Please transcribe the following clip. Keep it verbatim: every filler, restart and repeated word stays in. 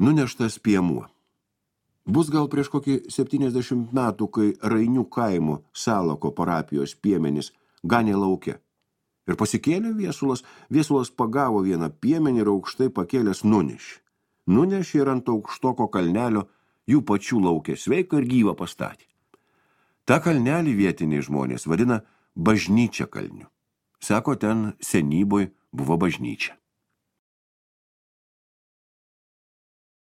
Nuneštas piemuo. Bus gal prieš kokį septyniasdešimt metų, kai Rainių kaimo Salako parapijos piemenys ganė lauke. Ir pasikėlė Viesulas, Viesulas pagavo vieną piemenį ir aukštai pakėlęs nunešė. Nunešė ir ant aukštoko kalnelio jų pačių lauke sveiką ir gyvą pastatė. Ta kalnelį vietiniai žmonės vadina bažnyčia kalniu. Sako, ten senyboj buvo bažnyčia.